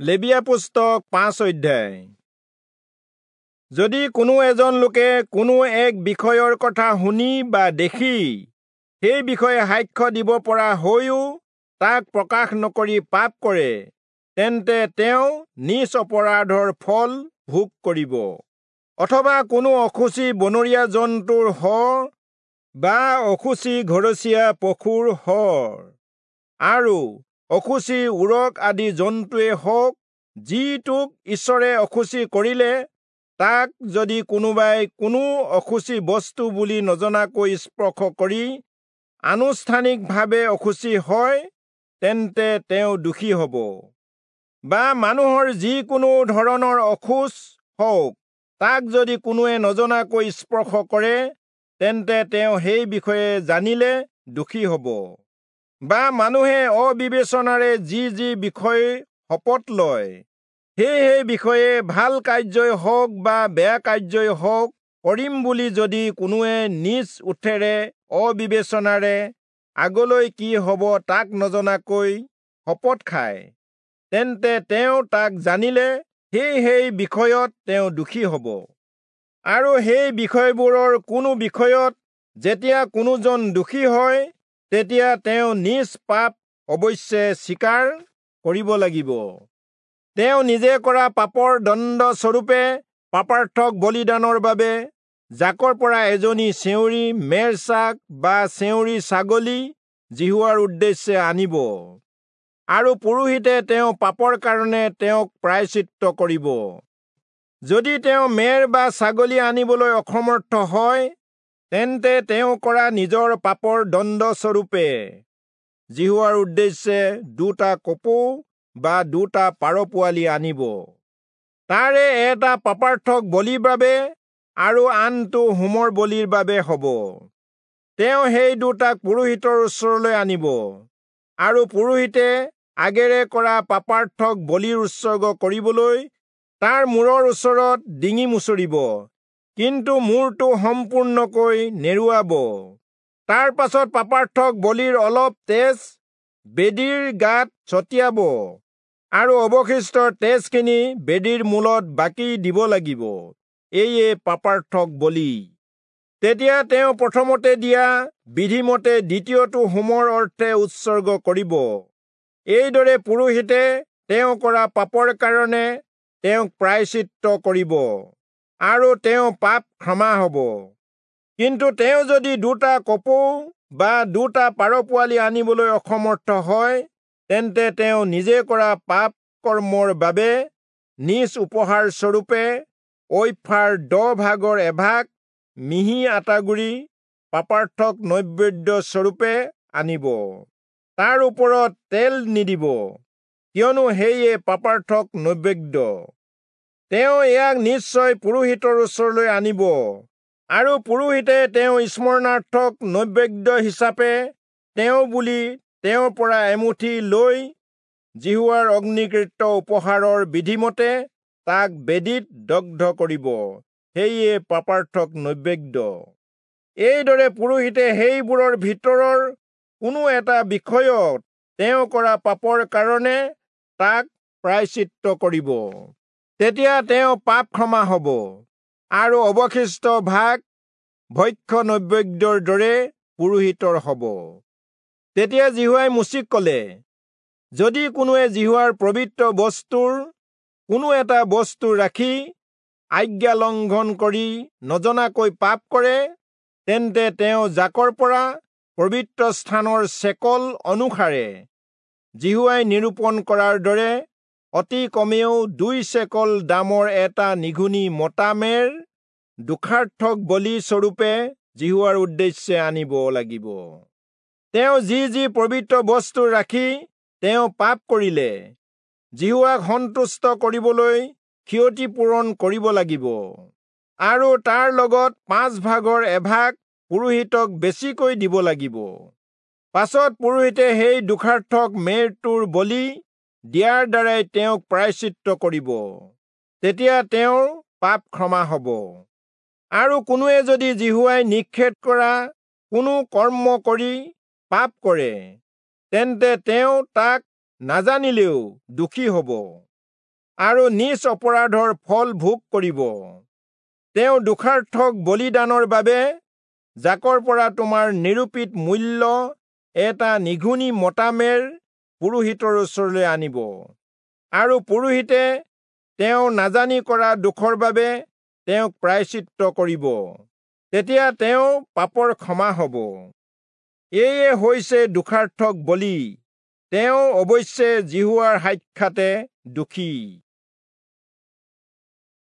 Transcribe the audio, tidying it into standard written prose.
লেবীয়া পুস্তক 5 অধ্যায়। যদি কোনো এজন লোকে কোনো এক বিষয়ৰ কথা শুনি বা দেখি সেই বিষয়ে সাক্ষ্য দিব পৰা হৈও তাক প্ৰকাশ নকৰি পাপ কৰে, তেন্তে তেওঁ নিজ অপৰাধৰ ফল ভোগ কৰিব। অথবা কোনো অশুচি বনৰীয়া জন্তুৰ শৰ বা অশুচি ঘৰচীয়া পশুৰ শৰ আৰু অশুচি উৰক আদি জন্তুৱে হওক, যিটোক ঈশ্বৰে অশুচি কৰিলে, তাক যদি কোনোবাই কোনো অশুচি বস্তু বুলি নজনাকৈ স্পৰ্শ কৰি আনুষ্ঠানিকভাৱে অশুচি হয়, তেন্তে তেওঁ দোষী হ'ব। বা মানুহৰ যিকোনো ধৰণৰ অশৌচ হওক, তাক যদি কোনোৱে নজনাকৈ স্পৰ্শ কৰে, তেন্তে তেওঁ সেই বিষয়ে জানিলে দোষী হ'ব। বা মানুহে অবিবেচনাৰে যি যি বিষয় শপত লয়, সেই সেই বিষয়ে ভাল কাৰ্যই হওক বা বেয়া কাৰ্যই হওক কৰিম বুলি যদি কোনোৱে নিজ ওঠেৰে অবিবেচনাৰে আগলৈ কি হ'ব তাক নজনাকৈ শপত খায়, তেন্তে তেওঁ তাক জানিলে সেই সেই বিষয়ত তেওঁ দোষী হ'ব। আৰু সেই বিষয়বোৰৰ কোনো বিষয়ত যেতিয়া কোনোজন দোষী হয়, তেতিয়া তেওঁ নিজ পাপ অৱশ্যে স্বীকাৰ কৰিব লাগিব। তেওঁ নিজে কৰা পাপৰ দণ্ডস্বৰূপে পাপাৰ্থক বলিদানৰ বাবে জাকৰ পৰা এজনী চেউৰী মেৰছাক বা চেউৰী ছাগলী যিহোৱাৰ উদ্দেশ্যে আনিব, আৰু পুৰোহিতে তেওঁ পাপৰ কাৰণে তেওঁক প্ৰায়শ্চিত্ত কৰিব। যদি তেওঁ মেৰ বা ছাগলী আনিবলৈ অসমৰ্থ হয়, তেন্তে তেওঁ কৰা নিজৰ পাপৰ দণ্ডস্বৰূপে যিহোৱাৰ উদ্দেশ্যে 2টা কপৌ বা 2টা পাৰ পোৱালি আনিব। তাৰে এটা পাপাৰ্থক বলিৰ বাবে আৰু আনটো হোমৰ বলিৰ বাবে হ'ব। তেওঁ সেই 2টাক পুৰোহিতৰ ওচৰলৈ আনিব, আৰু পুৰোহিতে আগেৰে কৰা পাপাৰ্থক বলিৰ উৎসৰ্গ কৰিবলৈ তাৰ মূৰৰ ওচৰত ডিঙি মুচৰিব, কিন্তু মূৰটো সম্পূৰ্ণকৈ নেৰুৱাব। তাৰ পাছত পাপাৰ্থক বলিৰ অলপ তেজ বেদীৰ গাত ছটিয়াব, আৰু অৱশিষ্ট তেজখিনি বেদীৰ মূলত বাকি দিব লাগিব। এয়ে পাপাৰ্থক বলি। তেতিয়া তেওঁ প্ৰথমতে দিয়া বিধিমতে দ্বিতীয়টো হোমৰ অৰ্থে উৎসৰ্গ কৰিব। এইদৰে পুৰোহিতে তেওঁ কৰা পাপৰ কাৰণে তেওঁক প্ৰায়শ্চিত্ত কৰিব, আৰু তেওঁ পাপ ক্ষমা হ'ব। কিন্তু তেওঁ যদি 2টা কপৌ বা 2টা পাৰ পোৱালি আনিবলৈ অসমৰ্থ হয়, তেন্তে তেওঁ নিজে কৰা পাপ কৰ্মৰ বাবে নিজ উপহাৰ স্বৰূপে ঐফাৰ 10 ভাগৰ এভাগ মিহি আটাগুড়ি পাপাৰ্থক নৈবেদ্য স্বৰূপে আনিব। তাৰ ওপৰত তেল নিদিব, কিয়নো সেয়ে পাপাৰ্থক নৈবেদ্য। তেওঁ ইয়াক নিশ্চয় পুৰোহিতৰ ওচৰলৈ আনিব, আৰু পুৰোহিতে তেওঁ স্মৰণাৰ্থক নৈবেদ্য হিচাপে তেওঁ বুলি তেওঁৰ পৰা এমুঠি লৈ যিহোৱাৰ অগ্নিকৃত উপহাৰৰ বিধিমতে তাক বেদীত দগ্ধ কৰিব। সেয়ে পাপাৰ্থক নৈবেদ্য। এইদৰে পুৰোহিতে সেইবোৰৰ ভিতৰৰ কোনো এটা বিষয়ত তেওঁ কৰা পাপৰ কাৰণে তাক প্ৰায়শ্চিত্ত কৰিব। তেতিয়া তেওঁ পাপ ক্ষমা হ'ব, আৰু অৱশিষ্ট ভাগ ভক্ষ্য নৈবেদ্যৰ দৰে পুৰোহিতৰ হ'ব। তেতিয়া যিহোৱাই মোচিক ক'লে, যদি কোনোৱে যিহোৱাৰ পবিত্ৰ বস্তুৰ কোনো এটা বস্তু ৰাখি আজ্ঞা লংঘন কৰি নজনাকৈ পাপ কৰে, তেন্তে তেওঁ জাকৰ পৰা পবিত্ৰ স্থানৰ চেকল অনুসাৰে যিহোৱাই নিৰূপণ কৰাৰ দৰে অতি কমেও 2 চেকল দামৰ এটা নিঘুণী মতা মেৰ দোষাৰ্থক বলি স্বৰূপে যিহোৱাৰ উদ্দেশ্যে আনিব লাগিব। তেওঁ যি যি পবিত্ৰ বস্তু ৰাখি তেওঁ পাপ কৰিলে, যিহোৱাক সন্তুষ্ট কৰিবলৈ ক্ষতিপূৰণ কৰিব লাগিব, আৰু তাৰ লগত 5 ভাগৰ এভাগ পুৰোহিতক বেছিকৈ দিব লাগিব। পাছত পুৰোহিতে সেই দোষাৰ্থক মেৰটোৰ বলি দিয়াৰ দ্বাৰাই তেওঁক প্ৰায়শ্চিত্ত কৰিব। তেতিয়া তেওঁৰ পাপ ক্ষমা হ'ব। আৰু কোনোৱে যদি যিহোৱাই নিষেধ কৰা কোনো কৰ্ম কৰি পাপ কৰে, তেন্তে তেওঁ তাক নাজানিলেও দোষী হ'ব। আৰু নিজ অপৰাধৰ ফল ভোগ কৰিব। তেওঁ দোষাৰ্থক বলিদানৰ বাবে জাকৰ পৰা তোমাৰ নিৰূপিত মূল্য এটা নিঘুণী মতা মেৰ পুৰোহিতৰ ওচৰলৈ আনিব, আৰু পুৰোহিতে তেওঁ নাজানি কৰা দোষৰ বাবে তেওঁক প্ৰায়শ্চিত্ত কৰিব, তেতিয়া তেওঁ পাপৰ ক্ষমা হ'ব। এয়ে হৈছে দোষাৰ্থক বলি, তেওঁ অৱশ্যে যিহোৱাৰ সাক্ষাতে দোষী।